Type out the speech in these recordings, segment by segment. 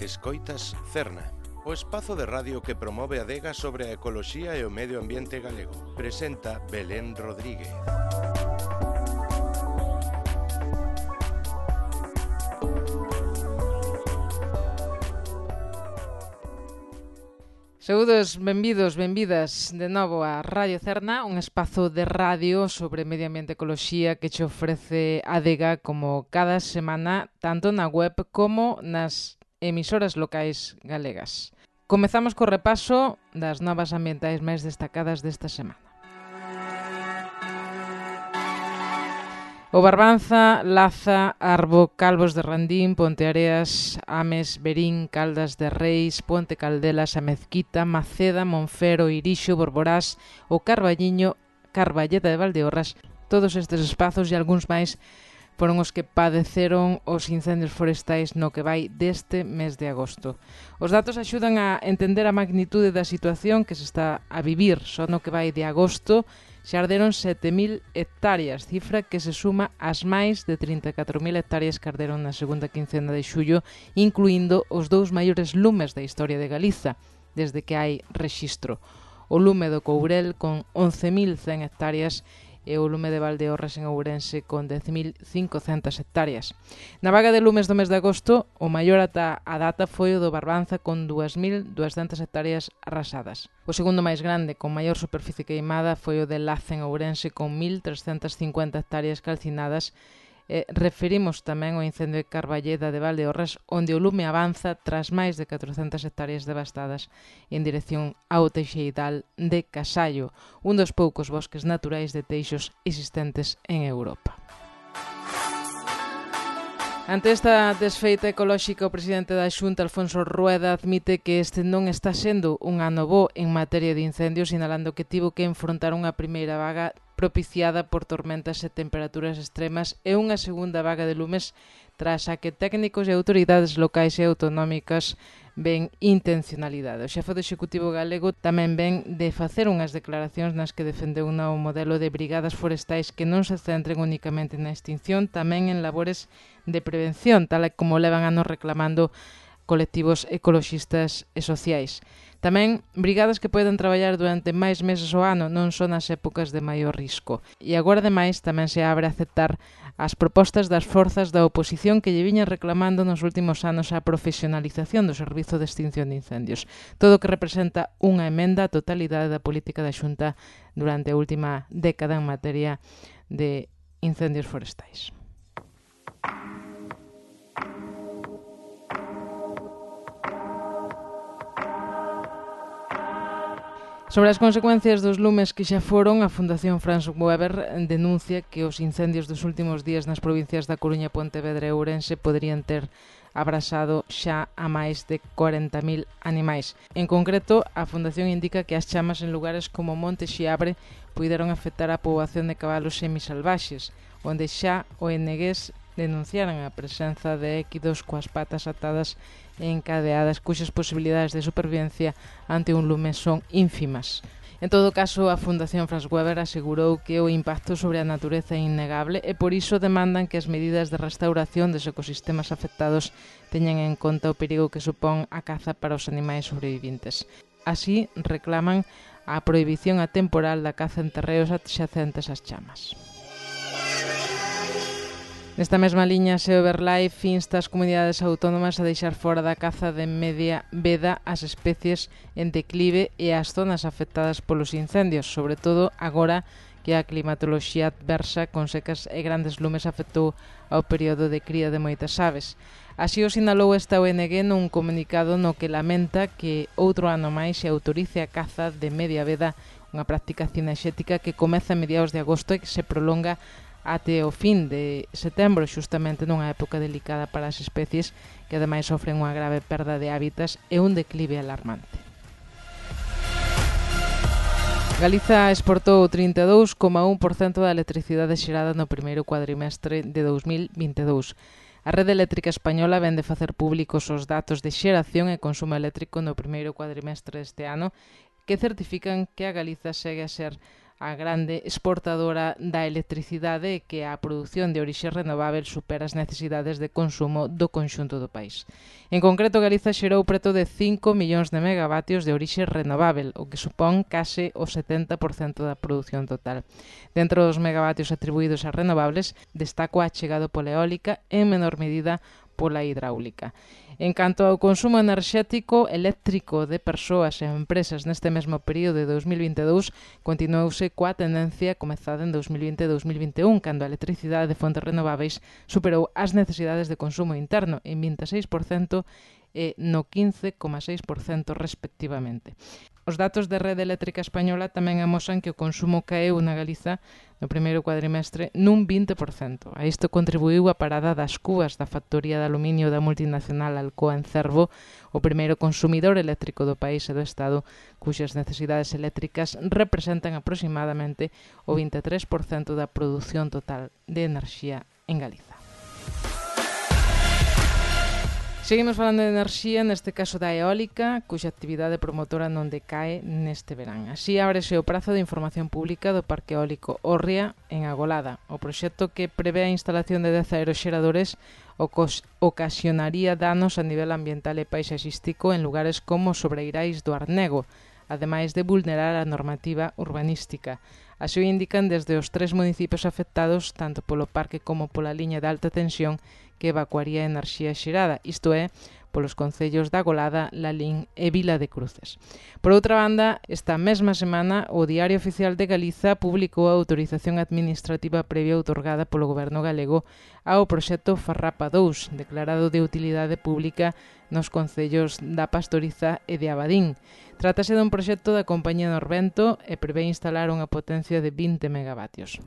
Escoitas Cerna, o espazo de radio que promove a adega sobre a ecoloxía e o medio ambiente galego. Presenta Belén Rodríguez. Saúdos, benvidos, benvidas de novo a Radio Cerna, un espazo de radio sobre medio ambiente e ecoloxía que che ofrece a adega como cada semana, tanto na web como nas emisoras locais galegas. Comezamos co repaso das novas ambientais máis destacadas desta semana. O Barbanza, Laza, Arbo, Calvos de Randín, Ponteareas, Ames, Berín, Caldas de Reis, Ponte Caldelas, a Mezquita, Maceda, Monfero, Irixo, Borborás, o Carballiño, Carballeda de Valdeorras. Todos estes espazos e algúns máis foron os que padeceron os incendios forestais no que vai deste mes de agosto. Os datos axudan a entender a magnitude da situación que se está a vivir. Só no que vai de agosto xa arderon 7.000 hectáreas, cifra que se suma ás máis de 34.000 hectáreas que arderon na segunda quincena de xullo, incluindo os dous maiores lumes da historia de Galiza, desde que hai rexistro. O lume do Courel con 11.100 hectáreas e o lume de Valdeorras en Ourense con 10.500 hectáreas. Na vaga de lumes do mes de agosto, o maior ata a data foi o do Barbanza con 2.200 hectáreas arrasadas. O segundo máis grande, con maior superficie queimada, foi o de Laza en Ourense con 1.350 hectáreas calcinadas. Referimos tamén ao incendio de Carballeda de Valdeorras, onde o lume avanza tras máis de 400 hectáreas devastadas en dirección ao Teixeidal de Casallo, un dos poucos bosques naturais de teixos existentes en Europa. Ante esta desfeita ecolóxica, o presidente da Xunta, Alfonso Rueda, admite que este non está sendo un ano bo en materia de incendios, sinalando que tivo que enfrontar unha primeira vaga propiciada por tormentas e temperaturas extremas e unha segunda vaga de lumes tras a que técnicos e autoridades locais e autonómicas ven intencionalidade. O xefe do Executivo galego tamén ven de facer unhas declaracións nas que defendeu un novo modelo de brigadas forestais que non se centren únicamente na extinción, tamén en labores de prevención, tal como levan anos reclamando colectivos ecoloxistas e sociais. Tamén brigadas que poden traballar durante máis meses ao ano, non son as épocas de maior risco. E agora, ademais, tamén se abre a aceptar as propostas das forzas da oposición que lle viñan reclamando nos últimos anos a profesionalización do servizo de extinción de incendios. Todo o que representa unha emenda á totalidade da política da Xunta durante a última década en materia de incendios forestais. Sobre as consecuencias dos lumes que xa foron, a Fundación Franz Weber denuncia que os incendios dos últimos días nas provincias da Coruña, Pontevedra e Ourense poderían ter abrasado xa a máis de 40.000 animais. En concreto, a Fundación indica que as chamas en lugares como Monte Xiabre puideron afectar a poboación de cabalos semisalvaxes, onde xa ONGs denunciaran a presenza de équidos coas patas atadas e encadeadas, cuxas posibilidades de supervivencia ante un lume son ínfimas. En todo caso, a Fundación Franz Weber asegurou que o impacto sobre a natureza é innegable e por iso demandan que as medidas de restauración dos ecosistemas afectados teñan en conta o perigo que supón a caza para os animais sobreviventes. Así, reclaman a prohibición atemporal da caza en terreos adxacentes ás chamas. Nesta mesma liña, SEO Verlife insta as comunidades autónomas a deixar fora da caza de media veda as especies en declive e as zonas afectadas polos incendios, sobre todo agora que a climatoloxía adversa con secas e grandes lumes afectou ao período de cría de moitas aves. Así o sinalou esta ONG nun comunicado no que lamenta que outro ano máis se autorice a caza de media veda, unha práctica cinexética que comeza a mediados de agosto e que se prolonga até o fin de setembro, xustamente nunha época delicada para as especies que ademais sofren unha grave perda de hábitats e un declive alarmante. Galiza exportou 32,1% da electricidade xerada no primeiro cuadrimestre de 2022. A rede eléctrica española vén de facer públicos os datos de xeración e consumo eléctrico no primeiro cuadrimestre deste ano que certifican que a Galiza segue a ser a grande exportadora da electricidade e que a produción de orixe renovável supera as necesidades de consumo do conxunto do país. En concreto, Galiza xerou preto de 5 millóns de megavatios de orixe renovável, o que supón case o 70% da produción total. Dentro dos megavatios atribuídos a renovables, destaco a chegado pola eólica e en menor medida pola hidráulica. En canto ao consumo enerxético eléctrico de persoas e empresas neste mesmo período de 2022, continuouse coa tendencia comezada en 2020 e 2021, cando a electricidade de fontes renováveis superou as necesidades de consumo interno en 26% e no 15,6% respectivamente. Os datos da Rede Eléctrica Española tamén amosan que o consumo caeu na Galiza no primeiro cuadrimestre nun 20%. A isto contribuiu a parada das cúas da factoría de aluminio da multinacional Alcoa en Cervo, o primeiro consumidor eléctrico do país e do Estado, cuxas necesidades eléctricas representan aproximadamente o 23% da produción total de enerxía en Galiza. Seguimos falando de enerxía, neste caso da eólica, cuxa actividade promotora non decae neste verán. Así ábrese o prazo de información pública do Parque Eólico Órria en Agolada. O proxecto que prevé a instalación de 10 aeroxeradores ocasionaría danos a nivel ambiental e paisaxístico en lugares como Sobreirais do Arnego, ademais de vulnerar a normativa urbanística. Así o indican desde os 3 municipios afectados, tanto polo parque como pola liña de alta tensión que evacuaría a enerxía xerada, isto é, polos concellos da Agolada, Lalín e Vila de Cruces. Por outra banda, esta mesma semana, o Diario Oficial de Galiza publicou a autorización administrativa previa outorgada polo Goberno galego ao proxecto Farrapa 2, declarado de utilidade pública nos concellos da Pastoriza e de Abadín. Trátase dun proxecto da compañía Norvento e prevé instalar unha potencia de 20 megavatios.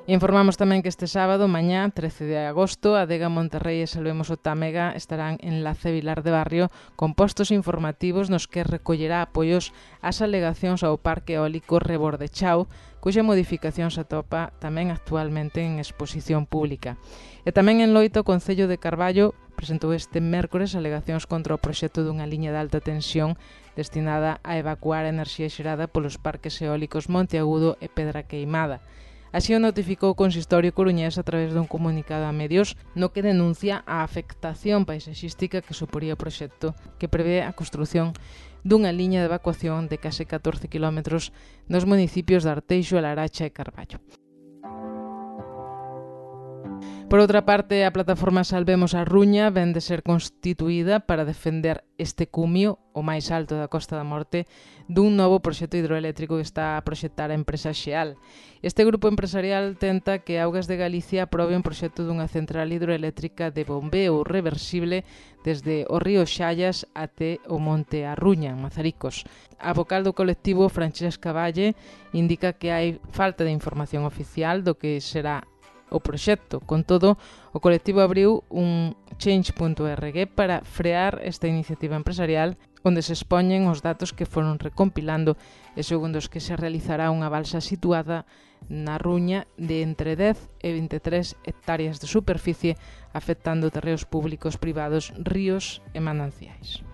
Informamos tamén que este sábado, mañá, 13 de agosto, Adega Monterrei e Salvemos o Támega estarán en Lace Vilar de Barrio con postos informativos nos que recollerá apoios ás alegacións ao Parque Eólico Rebordechao, cuxa modificación se atopa tamén actualmente en exposición pública. E tamén en Loito, o Concello de Carballo presentou este mércores alegacións contra o proxecto dunha liña de alta tensión destinada a evacuar a enerxía xerada polos parques eólicos Monteagudo e Pedra Queimada. Así o notificou o Consistorio coruñés a través dun comunicado a medios no que denuncia a afectación paisaxística que suporía o proxecto, que prevé a construción dunha liña de evacuación de case 14 km nos municipios de Arteixo, Laracha e Carballo. Por outra parte, a plataforma Salvemos a Ruña vén de ser constituída para defender este cumio, o máis alto da Costa da Morte, dun novo proxecto hidroeléctrico que está a proxectar a empresa Xeal. Este grupo empresarial tenta que Augas de Galicia aprobe un proxecto dunha central hidroeléctrica de bombeo reversible desde o río Xallas até o monte Arruña, en Mazaricos. A vocal do colectivo, Francesca Valle, indica que hai falta de información oficial do que será o proxecto. Con todo, o colectivo abriu un change.org para frear esta iniciativa empresarial onde se expoñen os datos que foron recompilando e segundo os que se realizará unha balsa situada na Ruña de entre 10 e 23 hectáreas de superficie afectando terreos públicos, privados, ríos e mananciais.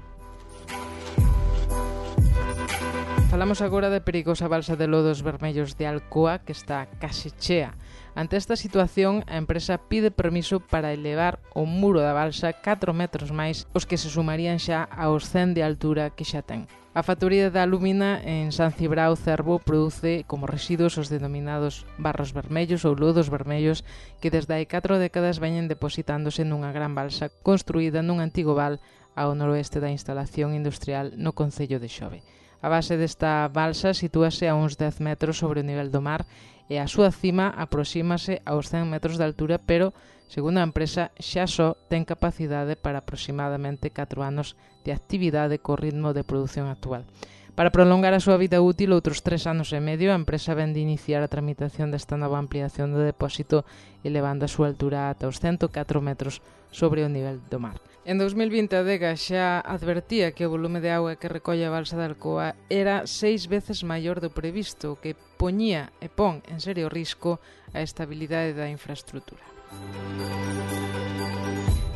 Falamos agora da perigosa balsa de lodos vermellos de Alcoa que está case chea. Ante esta situación, a empresa pide permiso para elevar o muro da balsa 4 metros máis, os que se sumarían xa aos 100 de altura que xa ten. A factoría da alúmina en San Cibrao, Cervo, produce como residuos os denominados barros vermellos ou lodos vermellos que desde hai 4 décadas veñen depositándose nunha gran balsa construída nun antigo val ao noroeste da instalación industrial no concello de Xove. A base desta balsa sitúase a uns 10 metros sobre o nivel do mar e a súa cima aproxímase aos 100 metros de altura, pero, segundo a empresa, xa só ten capacidade para aproximadamente 4 anos de actividade co ritmo de produción actual. Para prolongar a súa vida útil outros 3 anos e medio, a empresa ven de iniciar a tramitación desta nova ampliación do depósito elevando a súa altura ata os 104 metros sobre o nivel do mar. En 2020 a Adega xa advertía que o volume de auga que recolle a balsa de Alcoa era 6 veces maior do previsto, o que poñía e pon en serio risco a estabilidade da infraestrutura.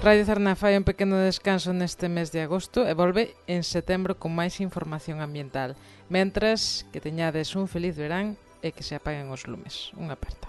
Radio Cerna fai un pequeno descanso neste mes de agosto e volve en setembro con máis información ambiental. Mentras, que teñades un feliz verán e que se apaguen os lumes. Unha aperta.